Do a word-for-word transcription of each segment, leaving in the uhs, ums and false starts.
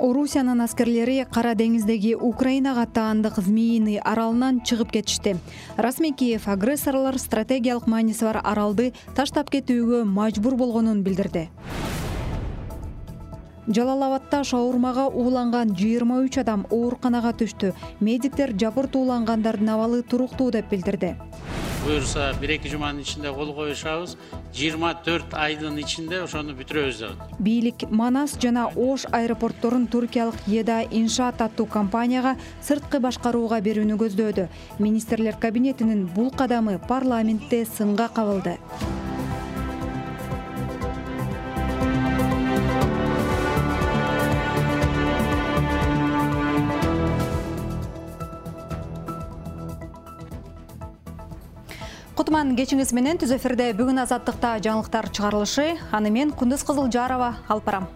Орусиянын аскерлери Кара деңиздеги Украинага таандык Змеиный аралынан чыгып кетишти. Расмий Киев агрессорлор стратегиялык мааниси бар аралды таштап кетүүгө мажбур болгонун билдирди. Жалал-Абадта шаурмага ууланган жыйырма үч адам ооруканага түштү. Медиктер жабырт уулангандардын абалы туруктуу деп билдирди. Буюрса бир эки жуманын ичинде кол коюшабыз, жыйырма төрт айдын ичинде ошону бүтүрөбүз деп. Бийлик Манас жана Ош аэропортторун туркиялык Еда Иншаат аттуу компанияга сырткы башкарууга берүүнү көздөөдү. Министрлер кабинетинин бул кадамы парламентте сынга кабылды. Кутман кечиңиз менен түз эфирде бүгүн Азаттыкта жаңылыктар чыгарылышы, аны мен Кундуз Кызылжарова алып барам.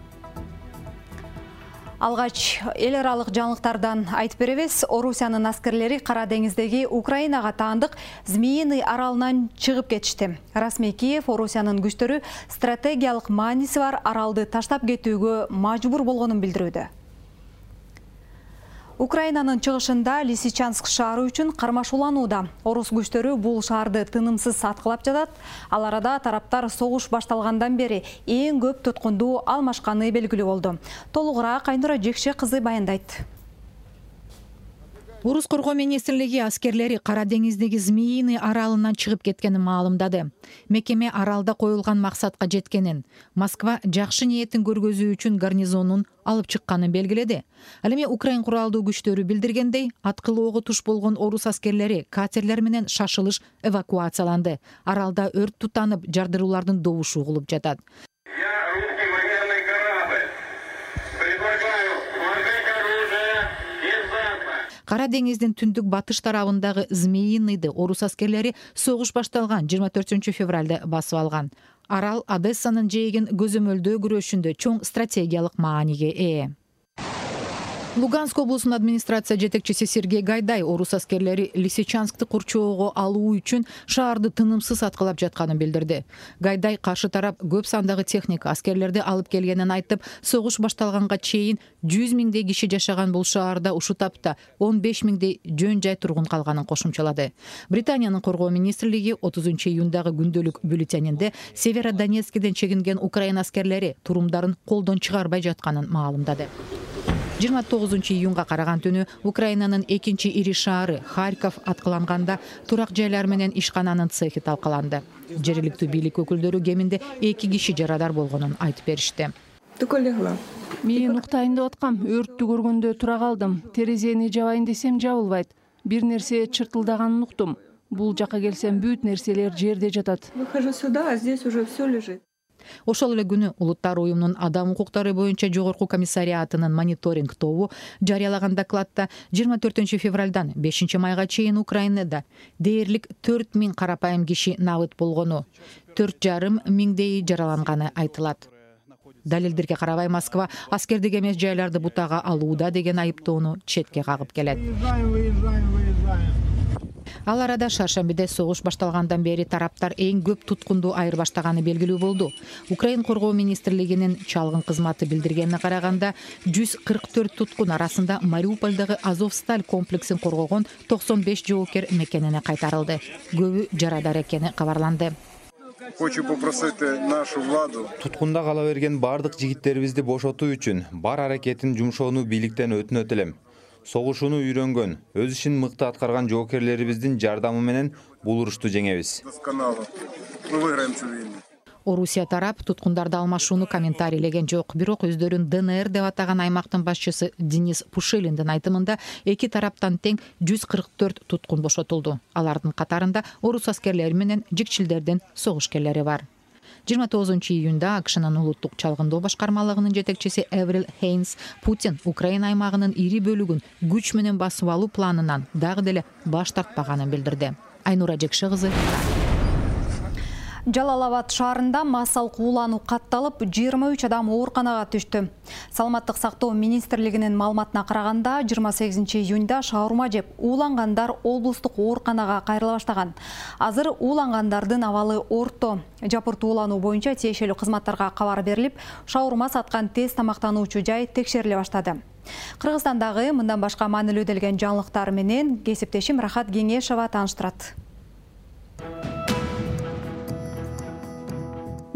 Алгач эл аралык жаңылыктардан айтып беребиз. Орусиянын аскерлери Кара деңиздеги Украинага таандык Змеиный аралынан чыгып кетишти. Расмий Киев Орусиянын күчтөрү стратегиялык мааниси бар аралды таштап кетүүгө мажбур болгонун билдирүүдө. Украинанын чыгышында Лисичанск шаары үчүн кармашууланууда. Орус күчтөрү бул шаарды тынымсыз аткылап жатат. Ал арада тараптар согуш башталгандан бери эң көп туткунду алмашканы белгилүү болду. Толугураак Айнура Жекше кызы баяндайт. Орус коргоо министрлиги аскерлери Кара деңиздеги Змеиный аралынан чыгып кеткенин маалымдады. Мекеме аралда коюлган максатка жеткенин, Москва жакшы ниетин көргөзүү үчүн гарнизонун алып чыкканын белгиледи. Ал эми Украин куралдуу күчтөрү билдиргендей, аткылоого туш болгон орус аскерлери катерлер менен шашылыш эвакуацияланды. Аралда өрт тутанып, жардыруулардын добушу угулуп жатат. Кара деңиздин түндүк батыш тарабындагы Змеиныйды орус аскерлери согуш башталган жыйырма төртүнчү февралда басып алган. Арал Одессанын жээгин көзөмөлдөө күрөшүндө чоң стратегиялык мааниге ээ. Луганск облусунун администрация жетекчиси Сергей Гайдай орус аскерлери Лисичанскты курчоого алуу үчүн шаарды тынымсыз аткылап жатканын билдирди. Гайдай каршы тарап көп сандагы техника аскерлерди алып келгенин айтып, согуш башталганга чейин жүз миңдей киши жашаган бул шаарда ушул тапта он беш миңдей жөн жай тургун калганын кошумчалады. Британиянын коргоо министрлиги отузунчу июндагы күндөлүк бюллетенинде Северодонецкиден чегинген Украина аскерлери турумдарын колдон чыгарбай жатканын маалымдады. жыйырма тогузунчу июнга караган түнү Украинанын экинчи ири шаары Харьков аткыланганда турак жайлар менен ишкананын цехи талкаланды. Жергиликтүү бийлик өкүлдөрү кеминде эки киши жарадар болгонун айтып беришти. Мен уктайын деп аткам, өрттү көргөндө тура калдым. Терезени жабайын десем жабылбайт. Бир нерсе чыртылдаганын уктум. Бул жака келсем бүт нерселер жерде жатат. Выхожу сюда, а здесь уже все лежит. Ошол эле күнү Улуттар уюмунун адам укуктары боюнча жогорку комиссариатынын мониторинг тобу жарыялаган докладта жыйырма төртүнчү февралдан бешинчи майга чейин Украинада дээрлик төрт миң карапайым киши набыт болгону, төрт жарым миңдей жараланганы айтылат. Далилдерге карабай Москва аскердик эмес жайларды бутага алууда деген айыптоону четке кагып келет. Ал арада шаршембиде согуш башталгандан бери тараптар эң көп туткунду айырбаштаганы белгилүү болду. Украин коргоо министрлигинин чалгын кызматы билдиргенине караганда жүз кырк төрт туткун арасында Мариупольдогу Азовсталь комплексин коргогон токсон беш жоокер мекенине кайтарылды. Көбү жарадар экени кабарланды. Хочу попросить нашу владу. Туткунда кала берген бардык жигиттерибизди бошотуу үчүн бар аракетин жумшоону бийликтен өтүнөт элем. Согушууну үйрөнгөн, өз ишин мыкты аткарган жоокерлерибиздин жардамы менен бул урушту жеңебиз. Орусия тарап туткундарды алмашууну комментарийлеген жок, бирок өздөрүн ДНР деп атаган аймактын башчысы Денис Пушилиндин айтымында эки тараптан тең жүз кырк төрт туткун бошотулду. Алардын катарында орус аскерлери менен жикчилдердин согушкерлери бар. жыйырма тогузунчу июнда АКШнын улуттук чалгындоо башкармалыгынын жетекчиси Эврил Хейнс Путин Украина аймагынын ири бөлүгүн күч менен басып алуу планынан дагы деле баш тартпаганын билдирди. Айнура Жекше кызы. Жалал Абад шаарында массалык уулануу катталып, жыйырма үч адам ооруканага түштү. Саламаттык сактоо министрлигинин маалыматына караганда, жыйырма сегизинчи июнда шаурма жеп уулангандар облустук ооруканага кайрыла баштаган. Азыр уулангандардын абалы орто. Жапыртуу уулануу боюнча тиешелүү кызматтарга кабар берилип, шаурма саткан тез тамактануучу жай текшериле баштады. Кыргызстандагы мындан башка маанилүү делген жаңылыктар менен кесиптешим Рахат Кеңешова тааныштырат.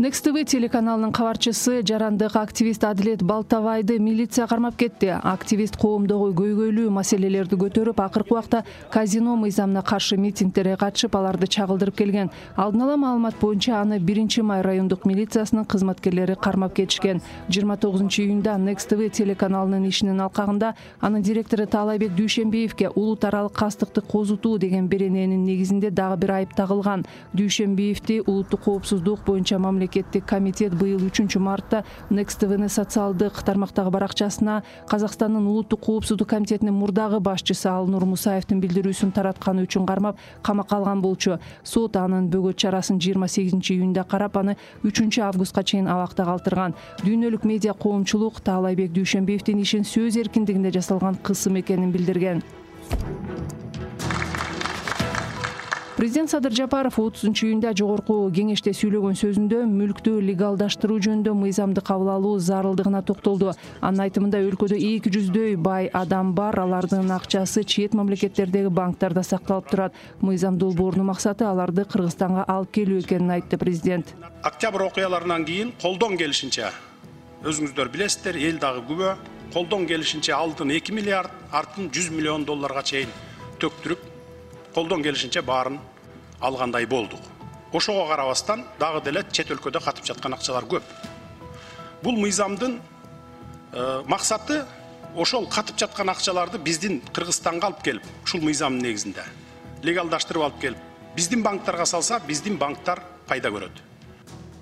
Next ти ви телеканалынын кабарчысы жарандык активист Адилет Балтабайды милиция кармап кетти. Активист коомдогу көйгөйлүү маселелерди көтөрүп, акыркы убакта казино мыйзамына каршы митингтерге катышып, аларды чагылдырып келген. Алдын ала маалымат боюнча аны биринчи май райондук милициясынын кызматкерлери кармап кетишкен. жыйырма тогузунчу июнда Next ти ви телеканалынын ишинин алкагында анын директору Таалайбек Дүйшөнбиевке улут аралык кастыкты козутуу деген берененин негизинде дагы бир айып тагылган. Дүйшөнбиевди улуттук коопсуздук боюнча мамлекеттик комитет быйыл үчүнчү мартта Next ти винин социалдык тармактагы баракчасына Казакстандын улуттук коопсуздук комитетинин мурдагы башчысы Алнур Мусаевдин билдирүүсүн таратканы үчүн кармап камакка алган болчу. Сот анын бөгөт чарасын жыйырма сегизинчи июнда карап, аны үчүнчү августка чейин абакта калтырган. Дүйнөлүк медиа коомчулук Таалайбек Дүйшөнбиевдин ишин сөз эркиндигинде жасалган кысым экенин билдирген. Президент Садыр Жапаров отузунчу июнда жогорку кеңеште сүйлөгөн сөзүндө мүлктү легалдаштыруу жөнүндө мыйзамды кабыл алуу зарылдыгына токтолду. Анын айтымында өлкөдө эки жүздөй бай адам бар, алардын акчасы чет мамлекеттердеги банктарда сакталып турат. Мыйзам долбоорунун максаты аларды Кыргызстанга алып келүү экенин айтты президент. Октябрь окуяларынан кийин колдон келишинче, өзүңүздөр билесиздер, эл дагы күбө, колдон келишинче алдын эки миллиард, артын жүз миллион долларга чейин төктүрүп, колдон келишинче баарын алгандай болдук. Ошого карабастан дагы деле чет өлкөдө катып жаткан акчалар көп. Бул мыйзамдын э, максаты ошол катып жаткан акчаларды биздин Кыргызстанга алып келип, ушул мыйзамдын негизинде легалдаштырып алып келип, биздин банктарга салса, биздин банктар пайда көрөт.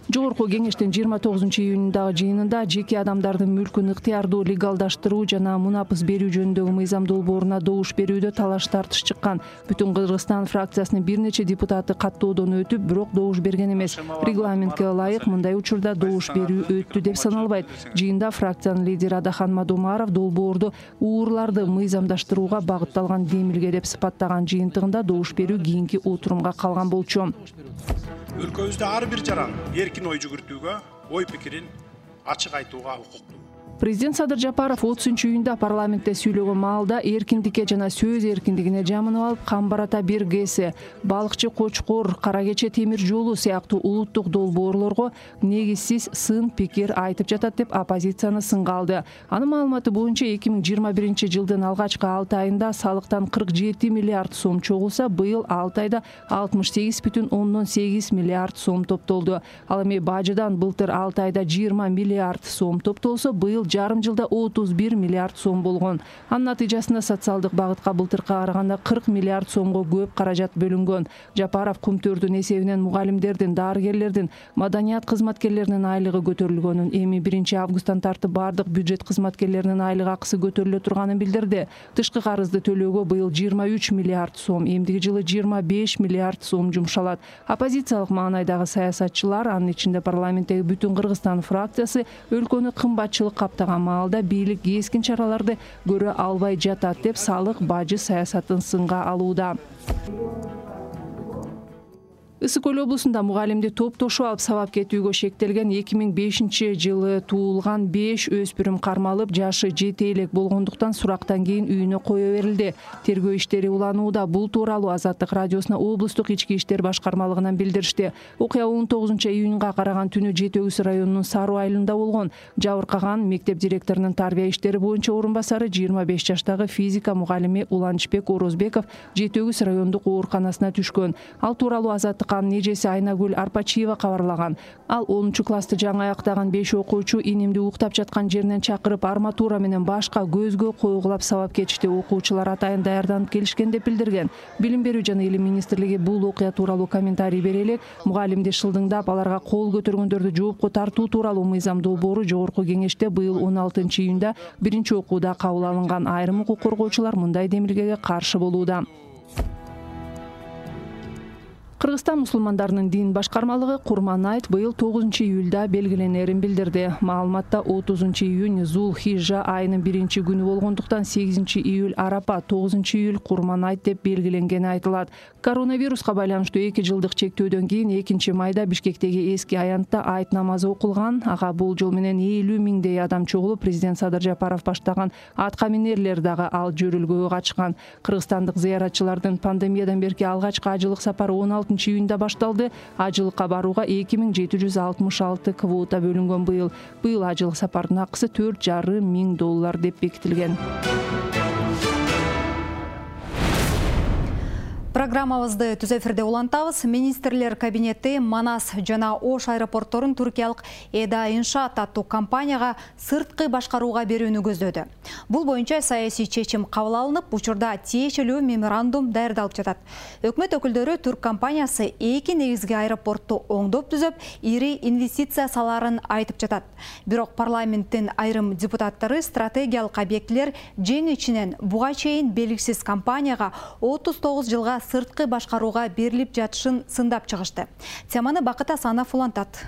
Жогорку кеңештин жыйырма тогузунчу июнундагы жыйынында жеке адамдардын мүлкүн ыктыярдуу легалдаштыруу жана мунапыс берүү жөнүндөгү мыйзам долбооруна добуш берүүдө талаш тартыш чыккан. Бүтүн Кыргызстан фракциясынын бир нече депутаты каттоодон өтүп, бирок добуш берген эмес. Регламентке ылайык мындай учурда добуш берүү өттү деп саналбайт. Жыйында фракциянын лидери Адахан Мадумаров долбоорду уурларды мыйзамдаштырууга багытталган демилге деп сыпаттаган. Жыйынтыгында добуш берүү кийинки отурумга калган болчу. Өлкөбүздө ар бир жаран эркин ой жүгүртүүгө, ой пикирин ачык айтууга укуктуу. Президент Садыр Жапаров отузунчу июнда парламентте сүйлөгөн маалда эркиндикке жана сөз эркиндигине жамынып алып, Камбарата бир гэси, балыкчы Кочкор, Кара кече темир жолу сыяктуу улуттук долбоорлорго негизсиз сын пикир айтып жатат деп оппозицияны сынга алды. Анын маалыматы боюнча эки миң жыйырма биринчи жылдын алгачкы алты айында салыктан кырк жети миллиард сом чогулса, быйыл алты айда алтымыш сегиз бүтүн ондон сегиз миллиард сом топтолду. Ал эми бажыдан былтыр алты айда жыйырма миллиард сом топтолсо, быйыл жарым жылда отуз бир миллиард сом болгон. Анын натыйжасында социалдык багытка былтыркы караганда кырк миллиард сомго көп каражат бөлүнгөн. Жапаров кумтөрдүн эсебинен мугалимдердин, дарыгерлердин, маданият кызматкерлеринин айлыгы көтөрүлгөнүн, эми биринчи августтан тартып бардык бюджет кызматкерлеринин айлык акысы көтөрүлө турганын билдирди. Тышкы карызды төлөөгө быйыл жыйырма үч миллиард сом, эмдиги жылы жыйырма беш миллиард сом жумшалат. Оппозициялык маанайдагы саясатчылар, анын ичинде парламенттеги бүтүн Кыргызстан фракциясы, өлкөнү кымбатчылык таптаган маалда бийлик кескин чараларды көрө албай жатат деп салык бажы саясатын сынга алууда. Ысык Көл облусунда мугалимди топтошуп алып сабап кетүүгө шектелген эки миң бешинчи жылы туулган беш өспүрүм кармалып, жашы жети элек болгондуктан сурактан кийин үйүнө кое берилди. Тергөө иштери уланууда. Бул тууралуу Азаттык радиосуна облустук ички иштер башкармалыгынан билдиришти. Окуя он тогузунчу июнга караган түнү Жети Өгүз районунун Сару айылында болгон. Жабыркаган мектеп директорунун тарбия иштери боюнча орун басары жыйырма беш жаштагы физика мугалими Уланчбек Орозбеков Жети Өгүз райондук ооруканасына түшкөн. Ал тууралуу Азаттык анын эжеси Айнагүл Арпачиева кабарлаган. Ал онунчу классты жаңы аяктаган беш окуучу инимди уктап жаткан жеринен чакырып, арматура менен башка көзгө койгулап сабап кетишти. Окуучулар атайын даярданып келишкен деп билдирген. Билим берүү жана илим министрлиги бул окуя тууралуу комментарий бере элек, мугалимди шылдыңдап, аларга кол көтөргөндөрдү жоопко тартуу тууралуу мыйзам долбоору жогорку кеңеште быйыл он алтынчы июнда биринчи окууда кабыл алынган. Айрым укук коргоочулар мындай демилгеге каршы болууда. Кыргызстан мусулмандарынын дин башкармалыгы Курман айт быйыл тогузунчу июлда белгиленерин билдирди. Маалыматта отузунчу июнь Зул Хижа айынын биринчи күнү болгондуктан сегизинчи июль Арапа, тогузунчу июль Курман айт деп белгиленгени айтылат. Коронавируска байланыштуу эки жылдык чектөөдөн кийин экинчи майда Бишкектеги эски аянтта айт намазы окулган. Ага болжол менен элүү миңдей адам чогулуп, президент Садыр Жапаров баштаган атка минерлер дагы ал жөрүлгөгө катышкан. Кыргызстандык зыяратчылардын пандемиядан берки алгачкы ажылык сапары он алтынчы июнда башталды. Ажылыкка барууга эки миң жети жүз алтымыш алты квота бөлүнгөн быйыл. Быйыл ажылык сапардын акысы төрт жарым миң доллар деп бекитилген. Программабызды түз эфирде улантабыз. Министрлер кабинети Манас жана Ош аэропортторун туркиялык Эда Иншаат аттуу компанияга сырткы башкарууга берүүнү көздөдү. Бул боюнча саясий чечим кабыл алынып, учурда тиешелүү меморандум даярдалып жатат. Өкмөт өкүлдөрү турк компаниясы эки негизги аэропортту оңдоп түзөп, ири инвестиция саларын айтып жатат. Бирок парламенттин айрым депутаттары стратегиялык объектилер жең ичинен буга чейин белгисиз компанияга отуз тогуз жылга сырткы башкарууга берилип жатышын сындап чыгышты. Теманы Бакыт Асанов улантат.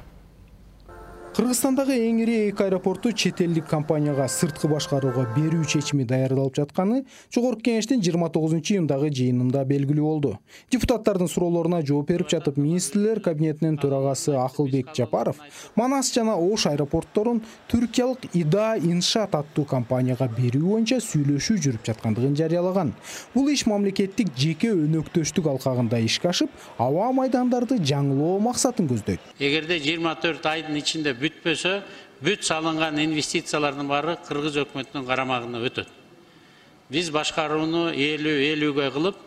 Кыргызстандагы эң ири эки аэропорту чет элдик компанияга сырткы башкарууга берүү чечими даярдалып жатканы Жогорку Кеңештин жыйырма тогузунчу июндагы жыйынында белгилүү болду. Депутаттардын суроолоруна жооп берип жатып, министрлер кабинетинин төрагасы Акылбек Жапаров Манас жана Ош аэропортторун түркиялык Эда Иншаат аттуу компанияга берүү боюнча сүйлөшүү жүрүп жаткандыгын жарыялаган. Бул иш мамлекеттик жеке өнөктөштүк алкагында ишке ашып, аба майдандарды жаңылоо максатын көздөйт. Эгерде жыйырма төрт айдын ичинде бүтпөсө, бүт салынган инвестициялардын баары Кыргыз өкмөтүнүн карамагына өтөт. Биз башкарууну элүү элүүгө кылып,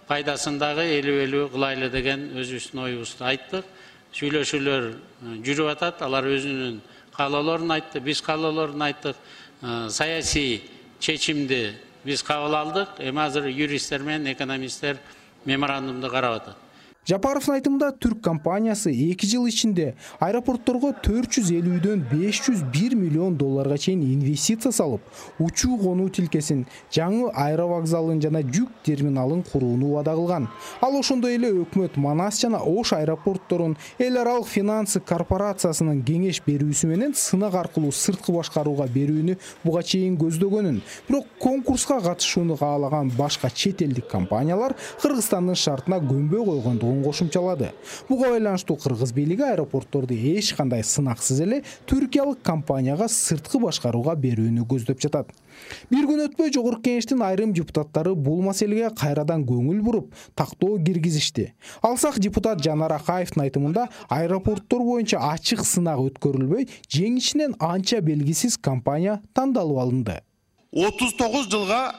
пайдасын дагы элүү элүү кылайлы деген өзүбүздүн оюбузду айттык. Сүйлөшүүлөр жүрүп атат, алар өзүнүн каалоолорун айтты, биз каалоолорун айттык. Саясий чечимди биз кабыл алдык. Эми азыр юристтер менен экономисттер меморандумду карап атат. Жапаровдун айтымында түрк компаниясы эки жыл ичинде аэропортторго төрт жүз элүүдөн беш жүз бир миллион долларга чейин инвестиция салып, учуу конуу тилкесин, жаңы аэровокзалын жана жүк терминалын курууну убада кылган. Ал ошондой эле өкмөт Манас жана Ош аэропортторун эл аралык финансы корпорациясынын кеңеш берүүсү менен сынак аркылуу сырткы башкарууга берүүнү буга чейин көздөгөнүн, бирок конкурска катышууну каалаган башка чет элдик компаниялар Кыргызстандын шартына көнбөй койгондугун кошумчалады. Буга байланыштуу Кыргыз бийлиги аэропортторду эч кандай сынаксыз эле түркиялык компанияга сырткы башкарууга берүүнү көздөп жатат. Бир күн өтпөй Жогорку Кеңештин айрым депутаттары бул маселеге кайрадан көңүл буруп, тактоо киргизишти. Алсак депутат Жанар Акаевдин айтымында аэропорттор боюнча ачык сынак өткөрүлбөй, жең ичинен анча белгисиз компания тандалып алынды. отуз тогуз жылга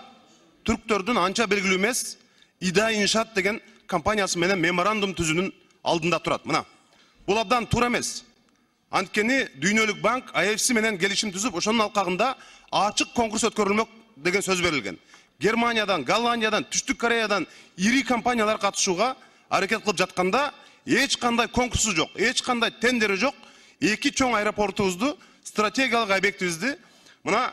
түрктөрдүн анча белгилүү эмес Эда Иншаат деген компаниясы менен меморандум түзүүнүн алдында турат. Мына, бул абдан туура эмес. Анткени Дүйнөлүк банк А F C менен келишим түзүп, ошонун алкагында ачык конкурс өткөрүлмөк деген сөз берилген. Германиядан, Голландиядан, Түштүк Кореядан ири компаниялар катышууга аракет кылып жатканда эч кандай конкурсу жок, эч кандай тендери жок. Эки чоң аэропортубузду, стратегиялык объектибизди мына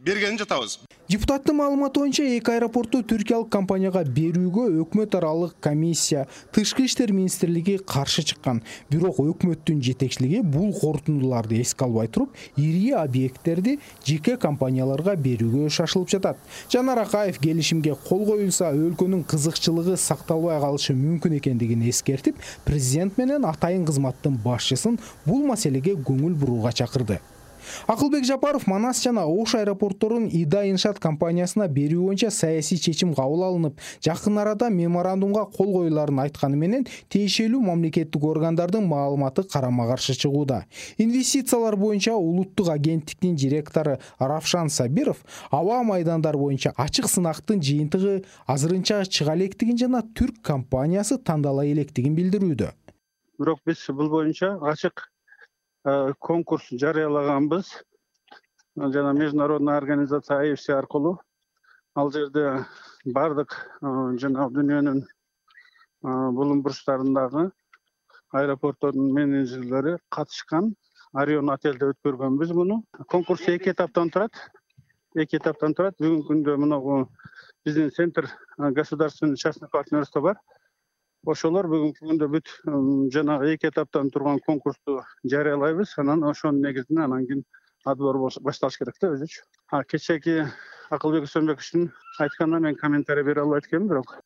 бергенин жатабыз. Депутаттын маалыматы боюнча эки аэропорту түркиялык компанияга берүүгө өкмөт аралык комиссия, Тышкы иштер министрлиги каршы чыккан. Бирок өкмөттүн жетекчилиги бул корутундуларды эске албай туруп, ири объекттерди жеке компанияларга берүүгө шашылып жатат. Жанар Акаев келишимге кол коюлса, өлкөнүн кызыкчылыгы сакталбай калышы мүмкүн экендигин эскертип, президент менен атайын кызматтын башчысын бул маселеге көңүл бурууга чакырды. Акылбек Жапаров Манас жана Ош аэропортторун Эда Иншаат компаниясына берүү боюнча саясий чечим кабыл алынып, жакын арада меморандумга кол коюларын айтканы менен тиешелүү мамлекеттик органдардын маалыматы карама-каршы чыгууда. Инвестициялар боюнча улуттук агенттиктин директору Равшан Сабиров аба майдандар боюнча ачык сынактын жыйынтыгы азырынча чыга электигин жана түрк компаниясы тандала электигин билдирүүдө. Бирок биз бул боюнча ачык конкурс жарыялаганбыз жана международный организация А F C аркылуу. Ал жерде бардык жана дүйнөнүн булум бурчтарындагы аэропорттордун менеджерлери катышкан. Орион отелде өткөргөнбүз муну. Конкурс эки этаптан турат. Эки этаптан турат. Бүгүнкү күндө мына биздин центр государственный частный партнерство бар. ошолор бүгүнкү күндө бүт жанагы эки этаптан турган конкурсту жарыялайбыз. Анан ошонун негизинде анан кийин отбор башталыш керек да өзүчө. А кечээки Акылбек Үсөнбековичтин айтканына мен комментарий бере албайт экенмин, бирок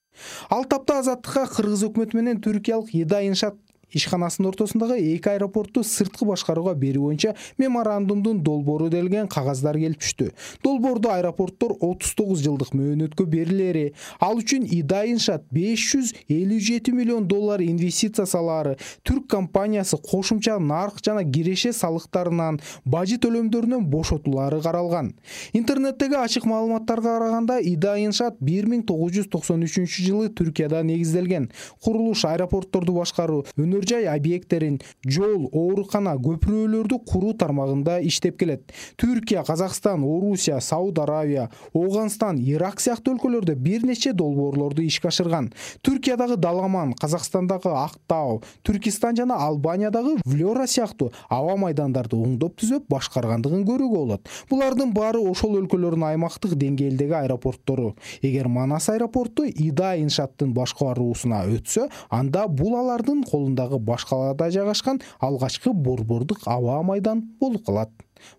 ал тапта Азаттыкка Кыргыз өкмөтү менен түркиялык Ида Иншаат ишканасынын ортосундагы эки аэропортту сырткы башкарууга берүү боюнча меморандумдун долбоору делген кагаздар келип түштү. Долбоордо аэропорттор отуз тогуз жылдык мөөнөткө берилери, ал үчүн Ида Иншаат беш жүз элүү жети миллион доллар инвестиция салаары, түрк компаниясы кошумча нарк жана киреше салыктарынан, бажы төлөмдөрүнөн бошотулары каралган. Интернеттеги ачык маалыматтарга караганда Ида Иншаат бир миң тогуз жүз токсон үчүнчү жылы Түркияда негизделген. Курулуш, аэропортторду башкаруу, өнөр-жай объекттерин, жол, оорукана, көпүрөлөрдү куруу тармагында иштеп келет. Түркия, Казакстан, Орусия, Сауд Аравия, Оогандстан, Ирак сыяктуу өлкөлөрдө бир нече долбоорлорду ишке ашырган. Түркиядагы Даламан, Казакстандагы Актау, Түркистан жана Албаниядагы Влёра сыяктуу аба майдандарды оңдоп түзөп башкаргандыгын көрүүгө болот. Булардын баары ошол өлкөлөрдүн аймактык деңгээлдеги аэропорттору. Эгер Манас аэропорту Ида Иншааттын башкаруусуна өтсө, анда бул алардын колундагы баш калаада жайгашкан алгачкы борбордук аба майдан болуп калат.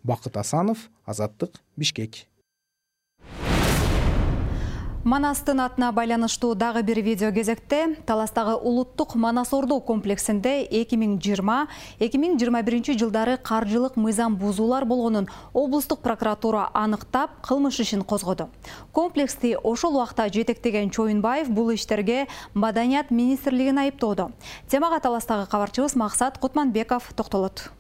Бакыт Асанов, Азаттык, Бишкек. Манастын атына байланыштуу дагы бир видео кезекте. Таластагы улуттук Манас Ордо комплексинде эки миң жыйырма — эки миң жыйырма биринчи жылдары каржылык мыйзам бузуулар болгонун облустук прокуратура аныктап, кылмыш ишин козгоду. Комплексти ошол убакта жетектеген Чоюнбаев бул иштерге Маданият министрлигин айыптоодо. Темага таластагы кабарчыбыз Максат Кутманбеков токтолот.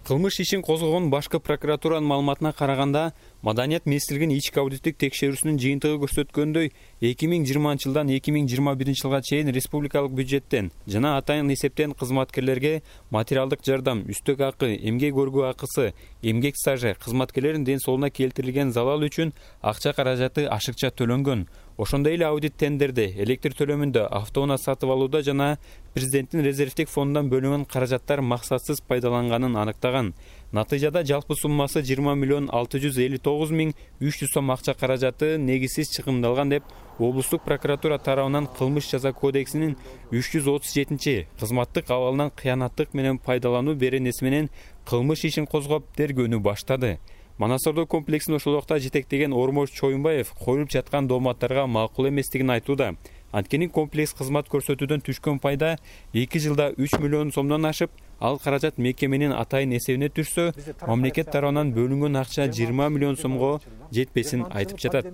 Кылмыш ишин козгогон башкы прокуратуранын маалыматына караганда, Маданият министрлигинин ички аудиттик текшерүүсүнүн жыйынтыгы көрсөткөндөй, эки миң жыйырманчы жылдан эки миң жыйырма биринчи жылга чейин республикалык бюджеттен жана атайын эсептен кызматкерлерге материалдык жардам, үстөк акы, эмгек өргүү акысы, эмгек стажы, кызматкерлердин ден соолугуна келтирилген залал үчүн акча каражаты ашыкча төлөнгөн. Ошондой эле аудит тендерде, электр төлөмүндө, автоунаа сатып алууда жана президенттин резервдик фондунан бөлүнгөн каражаттар максатсыз пайдаланганын аныктаган. Натыйжада жалпы суммасы жыйырма миллион алты жүз элүү тогуз миң үч жүз сом акча каражаты негизсиз чыгымдалган деп облустук прокуратура тарабынан кылмыш жаза кодексинин үч жүз отуз жетинчи кызматтык абалынан кыянаттык менен пайдалануу беренеси менен кылмыш ишин козгоп тергөөнү баштады. Манас Ордо комплексин ошол убакта жетектеген Ормош Чоюнбаев коюлуп жаткан дооматтарга макул эместигин айтууда. Анткени комплекс кызмат көрсөтүүдөн түшкөн пайда эки жылда үч миллион сомдон ашып, ал каражат мекеменин атайын эсебине түшсө, мамлекет тарабынан бөлүнгөн акча жыйырма миллион сомго жетпесин айтып жатат.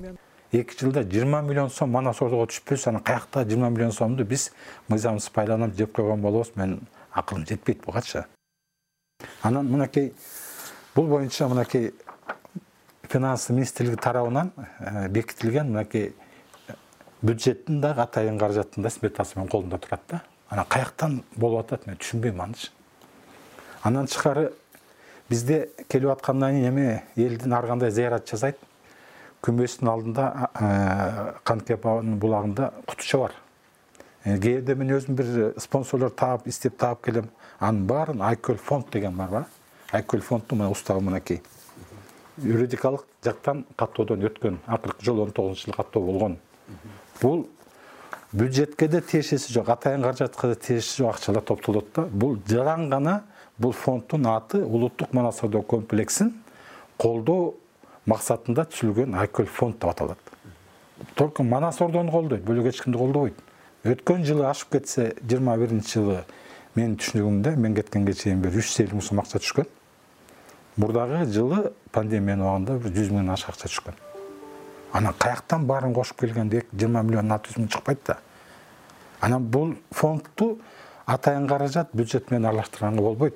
эки жылда жыйырма миллион сом Манас Ордого түшпөсө, анан каякта жыйырма миллион сомду биз мыйзамсыз пайдаланып жеп койгон болобуз, мен акылым жетпейт бугачы. Анан мынакей бул боюнча мынакей финанс министрлиги тарабынан бекитилген мынакей бюджеттин дагы атайын каражаттын да сметасы менен колунда турат да. Анан каяктан болуп атат, мен түшүнбөйм анычы. Андан тышкары бизде келип аткандан кийин эме элдин ар кандай зыярат жасайт. Күмбөздүн алдында Канкепанын булагында кутуча бар. Кээде мен өзүм бир спонсорлор таап, издеп таап келем. Анын баарын Айкөл фонд деген бар ба? Айкөл фонддун мына устагы мынакей. Юридикалык жактан каттоодон өткөн, акыркы жолу он тогузунчу жылы каттоо болгон. Бул бюджетке де тиешеси жок, атайын каражатка да тиешеси жок акчалар топтолот да. Бул жалаң гана бул фонддун аты улуттук Манас Ордо комплексин колдоо максатында түзүлгөн Айкөл фонд деп аталат. Только Манас Ордону колдойт, бөлөк эч кимди колдобойт. Өткөн жылы ашып кетсе жыйырма биринчи жылы менин түшүнүгүмдө мен кеткенге чейин бир үч жүз элүү миң сом акча түшкөн. Мурдагы жылы пандемиянын убагында бир жүз миңден ашык акча түшкөн. Анан каяктан баарын кошуп келгенде жыйырма миллион алты жүз миң чыкпайт да. Анан бул фондду атайын каражат бюджет менен аралаштырганга болбойт.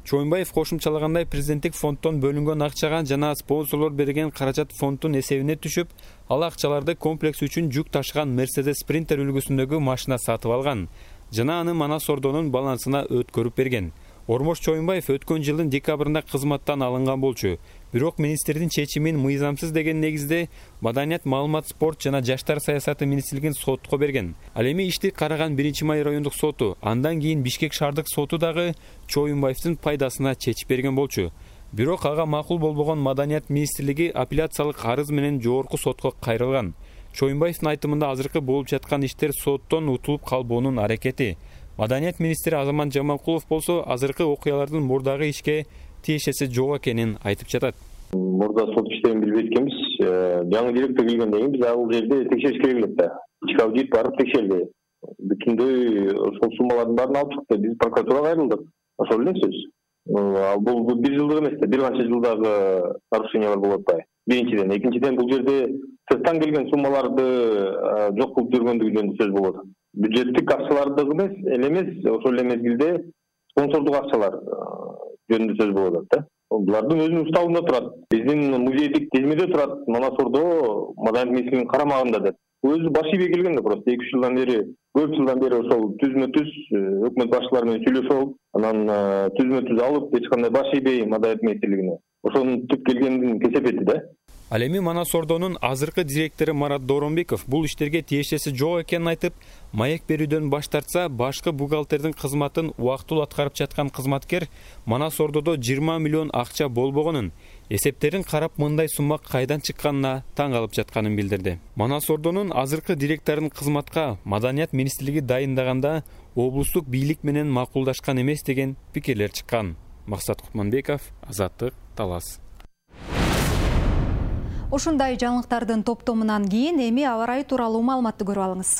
Чоюнбаев кошумчалагандай, президенттик фонддон бөлүнгөн акчага жана спонсорлор берген каражат фонддун эсебине түшүп, ал акчаларды комплекс үчүн жүк ташыган Mercedes Sprinter үлгүсүндөгү машина сатып алган жана аны Манас Ордонун балансына өткөрүп берген. Ормош Чоюнбаев өткөн жылдын декабрында кызматтан алынган болчу. Бирок министрдин чечимин мыйзамсыз деген негизде Маданият, маалымат, спорт жана жаштар саясаты министрлигин сотко берген. Ал эми ишти караган биринчи май райондук соту, андан кийин Бишкек шаардык соту дагы Чоюнбаевдин пайдасына чечип берген болчу. Бирок ага макул болбогон Маданият министрлиги апелляциялык арыз менен жогорку сотко кайрылган. Чоюнбаевдин айтымында азыркы болуп жаткан иштер соттон утулуп калбоонун аракети. Маданият министри Азамат Жаманкулов болсо азыркы окуялардын мурдагы ишке тиешеси жок экенин айтып жатат. Мурда сот иштерин билбей эткенбиз. Жаңы директор келгенден кийин биз ал жерде текшериш керек элек да. Ички аудит барып текшерди. Бүтүндөй ошол суммалардын баарын алып чыкты. Биз прокуратурага кайрылдык. Ошол эле сөз. Ал бул бир жылдык эмес да, бир канча жылдагы нарушениялар болуп атпайбы? Биринчиден, экинчиден бул жерде сырттан келген суммаларды жок кылып жүргөндүгү жөнүндө сөз болот. Бюджеттик акчаларды эмес, эле эмес, ошол эле мезгилде спонсордук акчалар жөнүндө сөз болуп атат да. Булардын өзүнүн уставында турат. Биздин музейдик тизмеде турат. Манас Ордо Маданият министрлигинин карамагында деп. Өзү баш ийбей келген да, просто эки үч жылдан бери, көп жылдан бери ошол түзмө-түз өкмөт башчылары менен сүйлөшүп алып, анан түзмө-түз алып, эч кандай баш ийбей Маданият министрлигине. Ошонун түп келгендин кесепети да. Ал эми Манас Ордонун азыркы директору Марат Доронбеков бул иштерге тиешеси жок экенин айтып, маек берүүдөн баш тартса, башкы бухгалтердин кызматын убактылуу аткарып жаткан кызматкер Манас Ордодо жыйырма миллион акча болбогонун, эсептерин карап мындай сумма кайдан чыкканына таң калып жатканын билдирди. Манас Ордонун азыркы директорун кызматка Маданият министрлиги дайындаганда облустук бийлик менен макулдашкан эмес деген пикирлер чыккан. Максат Кутманбеков, Азаттык, Талас. Ушундай жаңылыктардын топтомунан кийин эми аба ырайы тууралуу маалыматты көрүп алыңыз.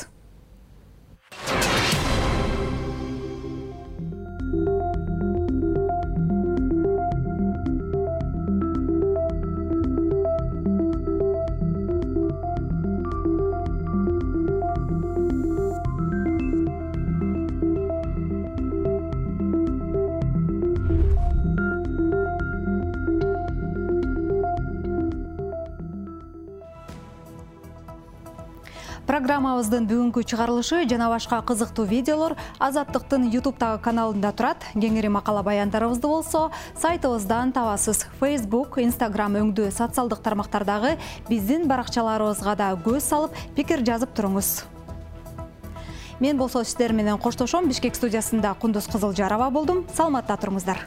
Программабыздын бүгүнкү чыгарылышы жана башка кызыктуу видеолор Азаттыктын ютубтагы каналында турат. Кеңири макала баяндарыбызды болсо сайтыбыздан табасыз. Facebook, Instagram өңдүү социалдык тармактардагы биздин баракчаларыбызга да көз салып, пикир жазып туруңуз. Мен болсо сиздер менен коштошом. Бишкек студиясында Кундуз Кызылжарова болдум. Саламатта туруңуздар.